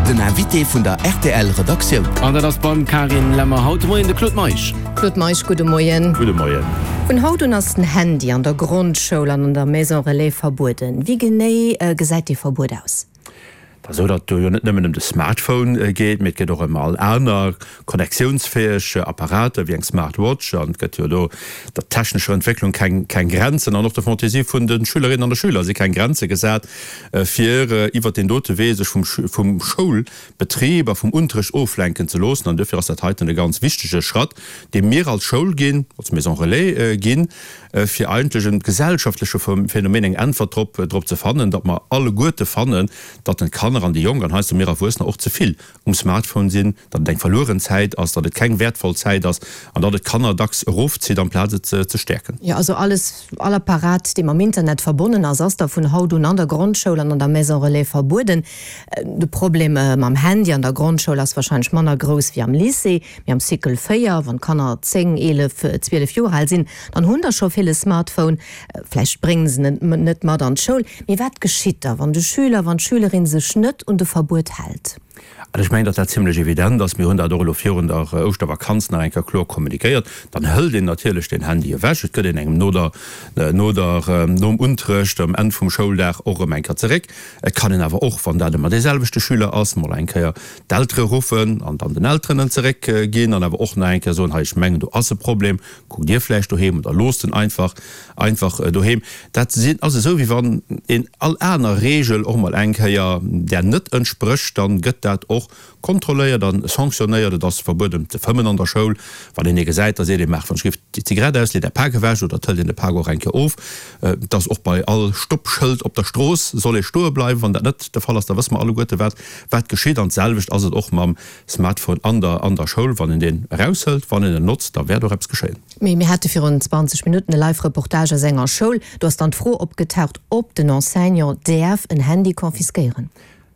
Den Invité vun der rtl Redaktioun. An dat ass beim Carine Lemmer haut de Moien de Claude Meisch. Claude Meisch, gudde Moien. Gudde Moien. Vun haut un ass den Handy an der Grondschoul an an der Maison Relais verbueden. Wéi genee gesäit dee Verbuet aus? Et ass esou, datt et do jo net nëmmen ëm de Smartphone geet, mee et geet och ëm all aner connectiounsfäeg Apparater wéi eng Smartwatch. An et gëtt jo do der technescher Entwécklung keng keng Grenzen an och der Fantaisie vun de Schülerinnen an de Schüler si keng Grenze gesat, fir iwwert deen dote Wee sech vum vum Schoulbetrib a vum Unterrecht oflenken ze loossen. An duerfir ass dat heiten e ganz wichtege Schratt, dee mir als Schoul ginn, als Maison Relais ginn, fir eigentlech e gesellschaftleche Phänomen eng Äntwert drop drop ze fannen, datt mer alleguerte fannen, datt den d'Kanner an déi Jonk an heiansdo mir Erwuessener och ze vill um Smartphone sinn, datt et eng verlueren Zäit ass, datt et keng wäertvoll Zäit ass an datt et d'Kanner dacks erofzitt amplaz et ze stäerken. Jo, also alles, all Apparat, dee mam Internet verbonnen ass, ass da vun haut un an der Grondschoul an an der Maison Relais verbueden. De Problem mam Handy an der Grondschoul ass wahrscheinlech manner grouss wéi am Lycée. Mee am Cycle 4, wann d'Kanner 10, 11, 12 Joer al sinn, dann hunn der scho vill e Smartphone. Vläicht bréngen se en net mat an d'Schoul. Mee wat geschitt da, wann de Schüler, wann d'Schülerin sech net un de Verbuet hält? Also ech mengen, datt dat zimlech evident ass. Mir hunn dat och elo virun der Ouschtervakanz nach eng Kéier kloer kommunikéiert. Dann hëlt een natierlech den Handy ewech. Et gëtt een engem no der, no der, nom Unterrecht, um Enn vum Schouldag och erëm eng Kéier zeréck. Et kann een awer och, wann dat ëmmer dee selwechte Schüler ass, mol eng Kéier d'Eltere ruffen an dann den Elteren en zeréck ginn an awer och nach eng Kéier soen, hei ech mengen do ass e Problem, kuckt Dir vläicht doheem oder loosst en einfach einfach doheem. Dat sinn ass esou wéi wann een all aner Reegel och mol eng Kéier där net entsprécht, dann gëtt dat och kontrolléiert an sanctionnéiert. Et ass verbueden ze fëmmen an der Schoul. Wann een ee gesäit, da seet ee, maach wann ech giff déi Zigarett aus, leet är Pak ewech oder et hëlt een de Pak och eng Kéier of. Et ass och bei all Stoppschëld op der Strooss soll ee stoe bleiwen. Wann dat net de Fall ass, da wësse mer alleguerte wat wat geschitt. An d'selwecht ass et och mam Smartphone an der an der Schoul. Wann een deen eraushëlt, wann een en notzt, da wäert och eppes geschéien. Mee mir hate virun 20 Minutten e Live-Reportage aus enger Schoul. Do ass dann d'Fro opgetaucht, ob den Enseignant däerf en Handy confisquéieren.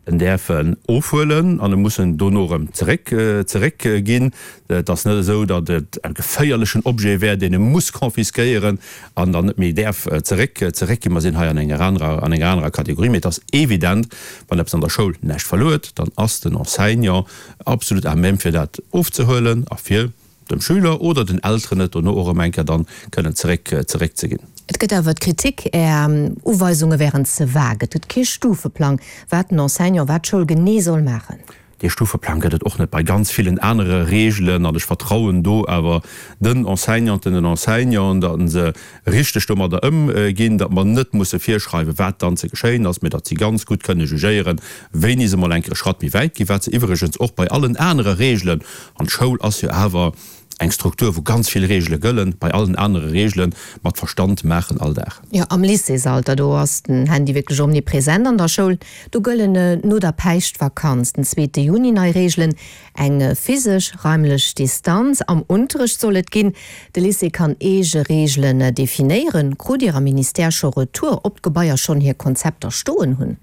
En däerf en ofhuelen an e muss en dono erëm zeréck zeréck ginn. Et ass net esou, datt et e geféierlechen Objet wär, deen e muss confisquéieren an dann net méi däerf zeréck zeréck ginn. Mer sinn hei an enger anerer an enger anerer Kategorie. Mee et ass evident, wann eppes an der Schoul näischt verluer huet, dann ass den Enseignant absolut à même fir dat ofzehuelen a fir dem Schüler oder den Elteren et dono och erëm eng Kéier dann kënnen zeréck zeréck ze ginn. Et gëtt awer d'Kritik, Är Uweisunge wären ze vague. Et gëtt kee Stufeplang, wat den Enseignant, wat d'Schoul genee soll maachen. Dee Stufeplang gëtt et och net bei ganz villen anere Reegelen an ech vertrauen do awer den Enseignanten, den Enseignanten, datt se richteg domadder ëmginn, datt mer net musse virschreiwen, wat dann ze geschéien ass, mä datt si ganz gutt kënne jugéieren, wéini se mol eng Kéier e Schratt méi wäit ginn, wat se iwwregens och bei allen anere Reegelen, an d'Schoul ass jo awer eng Struktur, wou ganz vill Reegele gëllen, bei allen anere Reegele mat Verstand maachen all Dag. Jo, am Lycéesalter, do ass den Handy wierklech omnipresent an der Schoul. Do gëllen no der Päischtvakanz, den zweete Juni, nei Reegelen. Eng physesch raimlech Distanz am Unterrecht soll et ginn. De Lycée kann eege Reegelen definéieren. Krut Dir am Ministère scho Retour, ob d'Gebaier schonn hir Konzepter stoen hunn?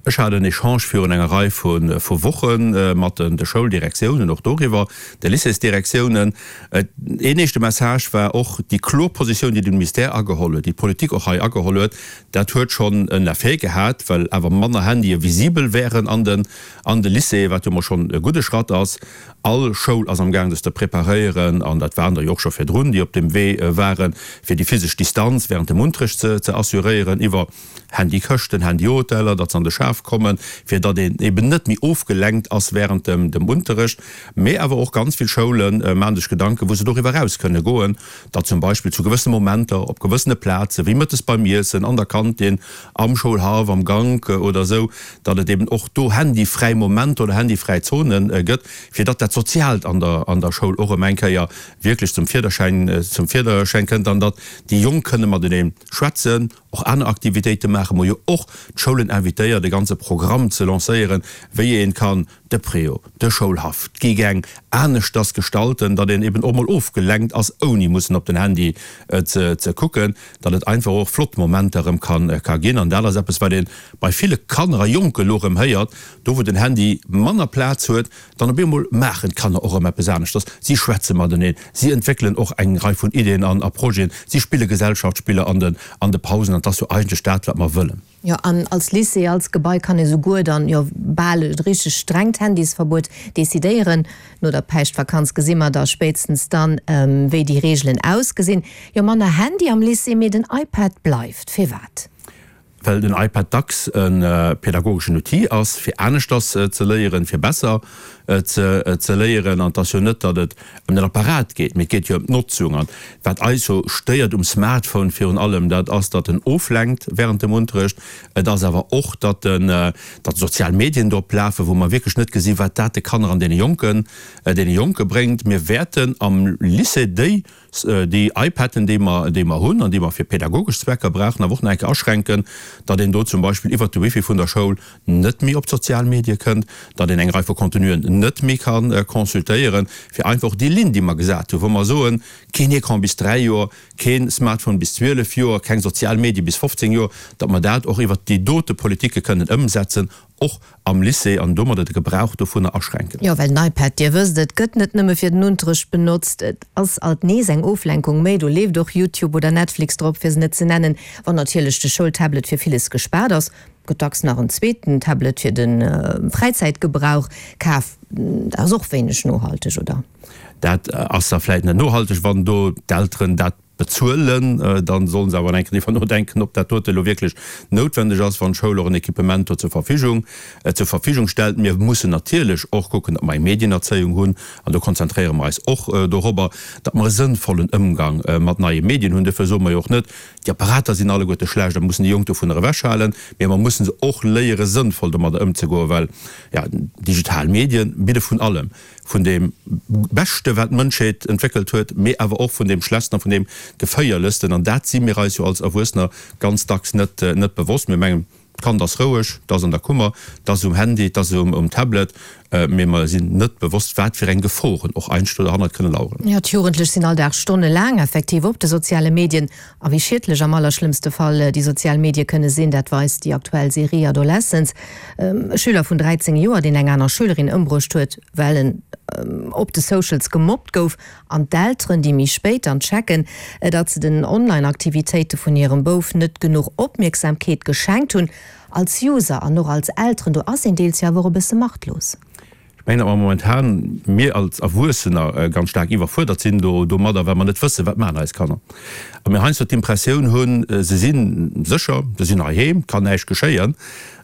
Ech hat en Echange virun enger Rei vu Woche mat de Schouldirektiounen och doriwwer, de Lycéesdirektiounen. Een éischte Message war och déi kloer Positioun, déi de Ministère ageholl huet, déi d'Politik och hei ageholl huet. Dat huet schonn en Effet gehat, well awer manner Handye visibel wären an den an de Lycéeën, wat jo mol schonn e gudde Schratt ass. All Schoul ass am Gaang sech ze preparéieren, an dat waren der jo och scho virdrun, déi op deem Wee waren, fir déi physesch Distanz während dem Unterrecht ze assuréieren, iwwer Handykëschten, Handyhoteller, datt se an de Schaf kommen, fir datt een eben net méi ofgelenkt ass während dem Unterrecht. Mee awer och ganz vill Schoule maachen sech Gedanken, wou se doriwwer eraus kënne goen, datt zum Beispill zu gewëssene Momenter op gewëssene Plaze wéi mëttes beim Iessen, an der Kantin, am Schoulhaff, am Gank oder esou, datt et eben och do handyfräi Momenter oder handyfräi Zone gëtt, fir datt dat Soziaalt an der an der Schoul och erëm eng Kéier wierklech zum Virderschäin zum Virderschäin kënnt an datt déi Jonk kënne matenee schwätzen, och aner Aktivitéite maachen. Mer hu jo och d'Schoulen invitéiert, e ganze Programm ze lancéieren, wéi ee kann de Préau, de Schoulhaff, d'Gegeng aneschters gestalten, datt een eben och mol ofgelenkt ass, ouni mussen op den Handy ze kucken, datt et einfach och flott Momenter erëm ka ginn. An dat ass eppes, wat ee bei ville Kanner a Jonken elo erëm héiert, do wou den Handy manner Plaz huet, dann op eemol maachen d'Kanner och erëm eppes aneschters, si schwätze mateneen, si entwéckelen och eng Rei vun Ideeën an a Projeten, si spille Gesellschaftsspiller an de Pausen. An et ass jo eigentlech dat, wat mer wëllen. Jo, an als Lycée, als Gebai kann ee souguer dann jo bal e richteg strengt Handysverbuet decidéieren. No der Päischtvakanz gesi mer da spéitstens dann, wéi déi Reegelen ausgesinn. Jo, manner Handy am Lycée, mee den iPad bleift. Firwat? Well den iPad dacks e pädagogeschen Outil ass, fir aneschters ze léieren, fir besser ze léieren. An et ass jo net, datt et ëm den Apparat geet, mee et geet jo ëm d'Notzung. An wat eis jo stéiert um Smartphone virun allem, dat ass, datt en oflenkt während dem Unterrecht. Et ass awer och, datt en, datt sozial Medien drop lafen, wou mer wierklech net gesinn, wat dat de Kanner an deene Jonken, deene Jonke bréngt. Mir wäerten am Lycée déi Déi iPaden, déi mer, déi mer hunn an déi mer fir pädagogesch Zwecker brauchen, awer och nach eng Kéier aschränken, datt een do zum Beispill iwwert de Wifi vun der Schoul net méi op d'sozial Medie kënnt, datt een eng Rei vu Contenuen net méi ka consultéieren, fir einfach och déi Linn, déi mer gesat hunn, wou mer soen, keen Ecran bis 3 Joer, kee Smartphone bis 12 Joer, keng sozial Medie bis 15 Joer, datt mer dat och iwwert déi dote Politike kënnen ëmsetzen, och am Lycée, an domadder de Gebrauch dovunner aschränken. Jo, well den iPad, Dir wësst, et gëtt net nëmme fir den Unterrecht benotzt, et ass alt nees eng Oflenkung méi, do leeft och YouTube oder Netflix drop, fir se net ze nennen. Wann natierlech de Schoultablet fir villes gespaart ass, gëtt dacks nach en zweeten Tablet fir de Fräizäitgebrauch kaf. Dat ass och wéineg nohalteg, oder? Dat ass da vläit net nohalteg, wann do d'Elteren dat bezuelen, dann sollen se awer eng Kéier driwwer nodenken, ob dat dote elo wierklech noutwendeg ass, wann d'Schoul och en Equipement do zur Verfügung zur Verfügung stellt. Mir mussen natierlech och kucken, datt mer eng Medienerzéiung hunn, an do konzentréiere mer eis och dorobber, datt mer e sënnvollen Ëmgang mat neie Medien hunn. Duerfir soe mer jo och net, déi Apparater sinn alleguerte schlecht a mussen déi Jonk dovunner ewechhalen, mee mer mussen se och léiere sënnvoll domadder ëmzegoen, well, jo, digital Medien bidde vun allem. vun deem Beschte wat d'Mënschheet entwéckelt huet, mee awer och vun deem Schlechtsten a vun deem Geféierlechsten. An dat si mir eis jo als Erwuessener ganz dacks net net bewosst. Mir mengen, d'Kand ass roueg, 't ass an der Kummer, 't ass um Handy, 't ass um Tablet, mee mer sinn net bewosst, wat fir eng Geforen och eigentlech do derhannert kënne laueren. Jo, d'Jugendlech sinn all Dag stonnelaang effektiv op de soziale Medien. A wéi schiedlech am allerschlëmmste Fall déi sozial Medie kënne sinn, dat weist déi aktuell Serie Adolescence. E Schüler vun 13 Joer, deen eng aner Schülerin ëmbruecht huet, well en op de Socials gemobbt gouf. An d'Elteren, déi méi spéit dann checken, datt se den Online-Aktivitéite vun hirem Bouf net genuch Opmierksamkeet geschenkt hunn. Als User an och als Elteren, do ass een deels jo awer och e bësse machtlos. Ech mengen, datt mer momentan, mir als Erwuessener, ganz staark iwwerfuerdert sinn do domadder, well mer net wëssen, wat maachen eis Kanner. A mir heiansdo d'Impressioun hunn, se si sécher, se sinn heiheem, kann näischt geschéien,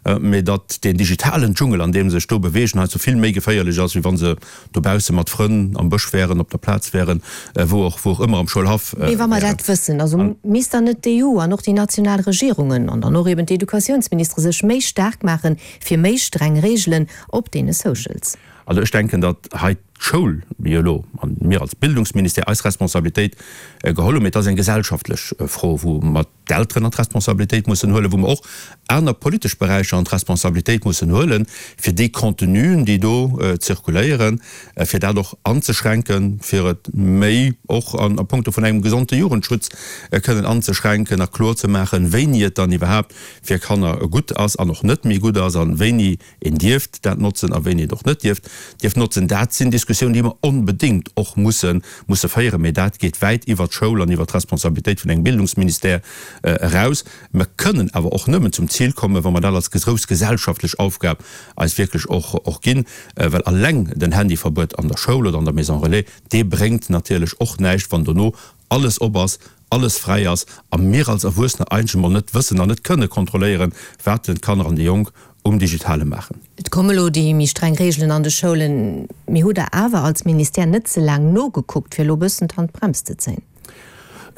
mä datt deen digitalen Dschungel, an deem se sech do beweegen, heiansdo vill méi geféierlech ass, wéi wa se dobausse mat Frënn am Bësch wären, op der Plaz wären, wou och, wou och ëmmer am Schoulhaff wären. Mee wa mer dat wëssen, also misst dann net d'EU an och déi national Regierungen an dann och eben d'Educatiounsministere sech méi staark maachen, fir méi streng Reegelen Op deene Socials. Also ech denken, datt hei d'Schoul jo elo, an mir als Bildungsministère, eis Responsabilitéit geholl hunn, mee et ass eng gesellschaftlech Fro, wou mer d'Elteren an d'Responsabilitéit mussen huelen, wou mer och aner politesch Beräicher an d'Responsabilitéit mussen huelen, fir déi Contenuen, déi do zirkuléieren, fir dat och anzeschränken, fir et méi och a puncto vun engem gesonde Jugendschutz kënnen anzeschränken a kloerzemaachen, wéini et dann iwwerhaapt fir Kanner gutt ass an och net méi gutt ass an wéini een dierft dat notzen a wéini een et och net dierft dierft notzen, dat sinn Diskussiounen, déi mer onbedéngt och musse musse féieren. Mee dat geet wäit iwwert d'Schoul an iwwert d'Responsabilitéit vun engem Bildungsministère eraus. Mer kënnen awer och nëmmen zum Zil kommen, wa mer dat als grouss gesellschaftlech Aufgab eis wierklech och och ginn, well alleng den Handyverbuet an der Schoul oder an der Maison relais, dee bréngt natierlech och näischt, wann dono alles op ass, alles fräi ass a mir als Erwuessener eigentlech emol net wëssen an net kënne kontrolléieren, wat denn d'Kanner an déi Jonk um Digitale maachen. Et komme lo déi méi streng Reegelen an de Schoulen, mee hutt Der awer als Ministère net ze laang nogekuckt, fir elo e bëssen d'Handbrems ze zéien?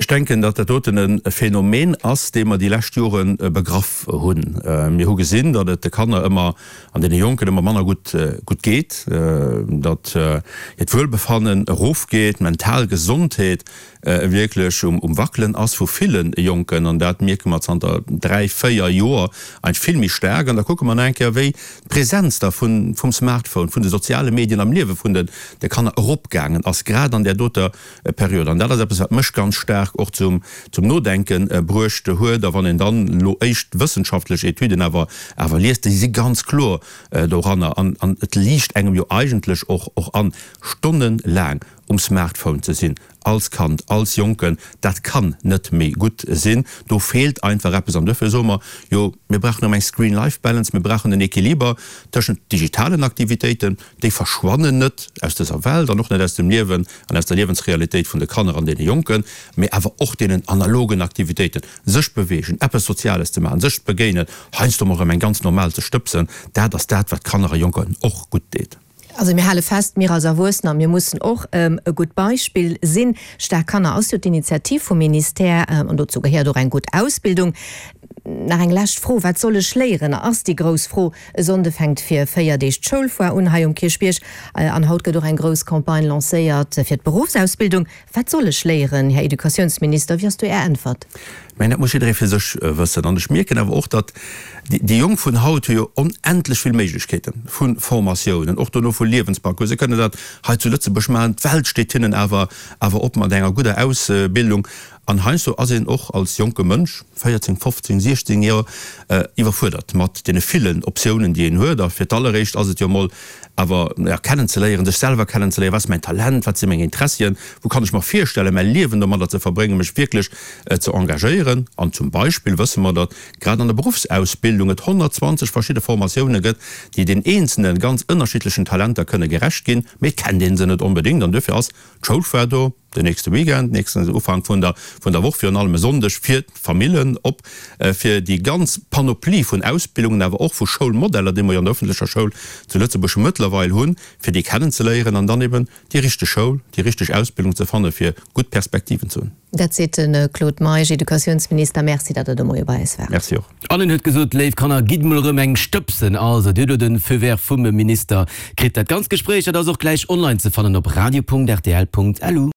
Ech denken, datt dat doten e Phänomen ass, dee mer déi lescht Jore begraff hunn. Mir hu gesinn, datt et de Kanner ëmmer an deene Jonken ëmmer manner gutt gutt geet, datt hiert Wuelbefannen erofgeet, d'mental Gesondheet wierklech um Wackelen ass vu ville Jonken, an dat mierke mer zanter 3, 4 Joer eigentlech vill méi staark. An da kucke mer nach eng Kéier, wéi d'Präsenz da vum Smartphone, vun de soziale Medien am Liewe vun de Kanner eropgaangen ass, grad an där doter Period. An dat ass eppes, wat mech ganz staark och zum Nodenke bruecht huet. A wann een dann elo éischt wëssenschaftlech Etüden awer liest, déi si ganz kloer doranner, an et liicht engem jo eigentlech och an, stonnelaang. um Smartphone ze sinn, als Kand, als Jonken, dat kann net méi gutt sinn. Do feelt einfach eppes. An duerfir soe mer, jo, mir brauchen erëm eng Screen-Life-Balance, mir brauchen en Equiliber tëschent digitalen Aktivitéiten, déi verschwannen net aus dëser Welt an och net aus dem Liewen an aus der Liewensrealitéit vun de Kanner an deene Jonken, mee awer och deenen analogen Aktivitéiten, sech beweegen, eppes Soziales ze maachen, sech begéinen, heiansdo mol erëm eng ganz normal ze stëbsen, dat ass dat, wat Kanner a Jonken och gutt deet. Also mir hale fest, mir als Erwuessener, mir mussen och e gutt Beispill sinn. Staark Kanner ass jo d'Initiativ vum Ministère an dozou gehéiert och eng gutt Ausbildung. Nach eng lescht Fro, Wat soll ech léieren? ass déi grouss Fro. E Sonnde fänkt fir 4 Deeg d'Schoulfoire un hei um Kierchbierg an haut gëtt och eng grouss Campagne lancéiert fir d'Beruffsausbildung. Wat soll ech léieren, Här Educatiounsminister? Wéi ass do Är Äntwert? Mä dat muss jidderee fir sech wëssen. An ech mierken awer och, datt déi Jonk vun haut hu jo onendlech vill Méiglechkeete vu Formatiounen, och dono vu Liewensparcours. Se kënnen dat hei zu Lëtzebuerg maachen. D'Welt steet hinnen awer awer op mat enger gudder Ausbildung. An heiansdo ass een och als jonke Mënsch, 14, 15, 16 Joer, iwwerfuerdert mat deene villen Optiounen, déi een huet. A fir d'alleréischt ass et jo emol awer, ja, kennenzeléieren, sech selwer kennenzeléieren, wat ass mäin Talent, wat si meng Interessien, wou kann ech mer virstellen, mäi Liewen domadder ze verbréngen, mech wierklech ze engagéieren. An zum Beispill wësse mer, datt grad an der Beruffsausbildung et 120 verschidde Formatioune gëtt, déi den eenzele ganz ënnerschiddlechen Talenter kënne gerecht ginn, mee et kennt ee se net onbedéngt. An duerfir ass d'Schoulfoire do. Den nächste Weekend, nächsten Ufank vun der vun der Woch, virun allem e Sonndeg fir d'Famillen op, fir déi ganz Panoplie vun Ausbildungen, awer och vu Schoulmodeller, déi mer jo an der öffentlecher Schoul zu Lëtzebuerg mëttlerweil hunn, fir déi kennenzeléieren an dann eben déi richteg Schoul, déi richteg Ausbildung ze fanne fir gutt Perspektiven ze hunn. Dat seet de Claude Meisch, Educatiounsminister. Merci, datt Der de Moie bei eis waart. Merci och. An en huet gesot, Léif Kanner, gitt mol erëm eng stëbsen. Also, Dir hutt elo de Feu vert vum Minister kritt. Dat ganzt Gespréich, dat ass och gläich online ze fannen op radio.rtl.lu.